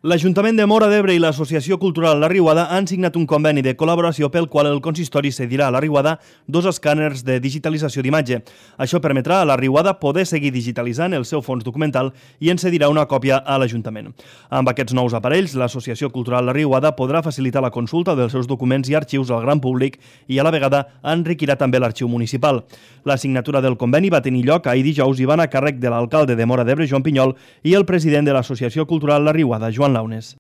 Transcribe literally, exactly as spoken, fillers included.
L'Ajuntament de Móra d'Ebre i l'Associació Cultural La Riuada han signat un conveni de col·laboració pel qual el consistori cedirà a La Riuada dos escàners de digitalització d'imatge. Això permetrà a La Riuada poder seguir digitalitzant el seu fons documental i en cedirà una còpia a l'Ajuntament. Amb aquests nous aparells, l'Associació Cultural La Riuada podrà facilitar la consulta dels seus documents i arxius al gran públic i a la vegada enriquirà també l'arxiu municipal. La signatura del conveni va tenir lloc ahir dijous i van a càrrec de l'alcalde de Móra d'Ebre, Joan Pinyol, i el president de l'Associació Cultural La Riuada, Joan Launes.